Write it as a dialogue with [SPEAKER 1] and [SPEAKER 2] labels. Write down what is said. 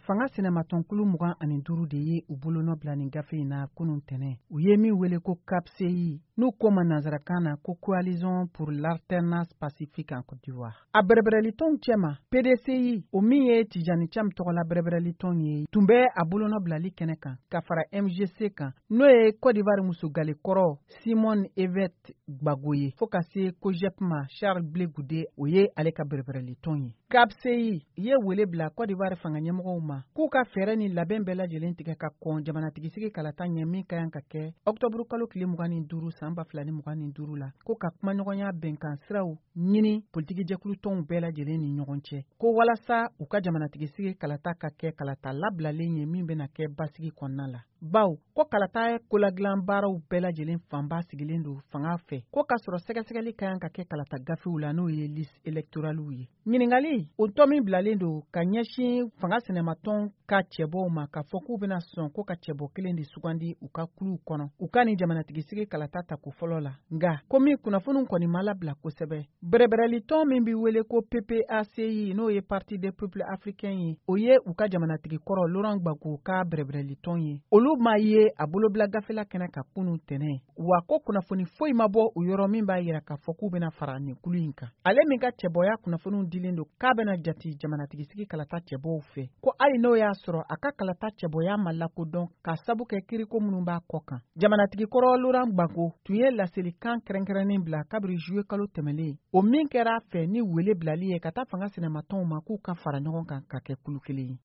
[SPEAKER 1] Fanga sinamatɔnkulu 25 de ye u bolonɔ bila nin gafe in na kunun tɛnɛ, u ye min wele ko CAPCI, n'u ko ma nansarakan na ko Coalition pour l'alternance pacifique en Côte d'Ivoire. A bɛrɛbɛrɛlitɔnw cɛma, PDCI, o min ye Tijani Cam tɔgɔla bɛrɛbɛrɛlitɔn ye, tun bɛ a bolonɔ bilali kɛnɛ kan ka fara MGC kan, n'o ye Côte d'Ivoire musogale kɔrɔ Simone Ehivet Gbagbo ye, fo ka se COJEP ma, Charles Blé Goudé, o ye ale ka bɛrɛbɛrɛlitɔn ye. CAPCI ye wele bila Côte d'Ivoire fanga ɲɛmɔgɔw ma k'u ka fɛɛrɛ ni labɛn bɛɛ lajɛlen tigɛ ka kɔn jamanatigisigi kalata ɲɛ min ka kan ka kɛ ɔkutɔburu kalo tile 25 san 2025 la, ko ka kumaɲɔgɔnya bɛnkan siraw ɲini politikijɛkulutɔnw bɛɛ lajɛlen ni ɲɔgɔn cɛ, ko walasa u ka jamanatigisigi kalata ka kɛ kalata labilalen ye min bɛna kɛ basigi kɔnɔna la, baw ko kalata koladilan baaraw bɛɛ lajɛlen fanba sigilen don fanga fɛ, ko k'a sɔrɔ sɛgɛsɛgɛli ka kan ka kɛ kalata gafew la, n'o ye liste électoralew ye. Ɲininkali o tɔ min bilalen don ka ɲɛsin fanga sinamatɔn ka cɛbɔw ma, k'a fɔ k'u bɛna sɔn ko ka cɛbɔ kelen de sugandi u ka kuluw kɔnɔ u ka nin jamanatigisigi kalata tako fɔlɔ la. Nka komi kunnafoniw kɔni ma labila kosɛbɛ, bɛrɛbɛrɛlitɔn min bɛ wele ko PPACI, n'o ye Parti des peuples africains ye, o ye u ka jamanatigi kɔrɔ Laurent Gbagbo ka bɛrɛbɛrɛlitɔn ye, olu ma ye a bolobila gafela kɛnɛ ka kunun tɛnɛ wa, ko kunnafoni foyi ma bɔ o yɔrɔ min b'a yira k'a fɔ k'u bɛna fara nin kulu in kan. Ale min ka cɛbɔya kunnafoniw dilen don k'a bɛna jati jamanatigisigi kalata cɛbɔw fɛ, ko hali n'o y'a sɔrɔ a ka kalata cɛbɔya ma lakodɔn ka sabu kɛ kiriko minnu b'a kɔ kan, jamanatigi kɔrɔ Laurent Gbagbo tun ye laselikan kɛrɛnkɛrɛnnen bila kabiri juillet kalo tɛmɛlen, o min kɛra a fɛ ni wele bilali ye ka taa fanga sinamatɔnw ma k'u ka fara ɲɔgɔn kan ka kɛ kulu kelen ye.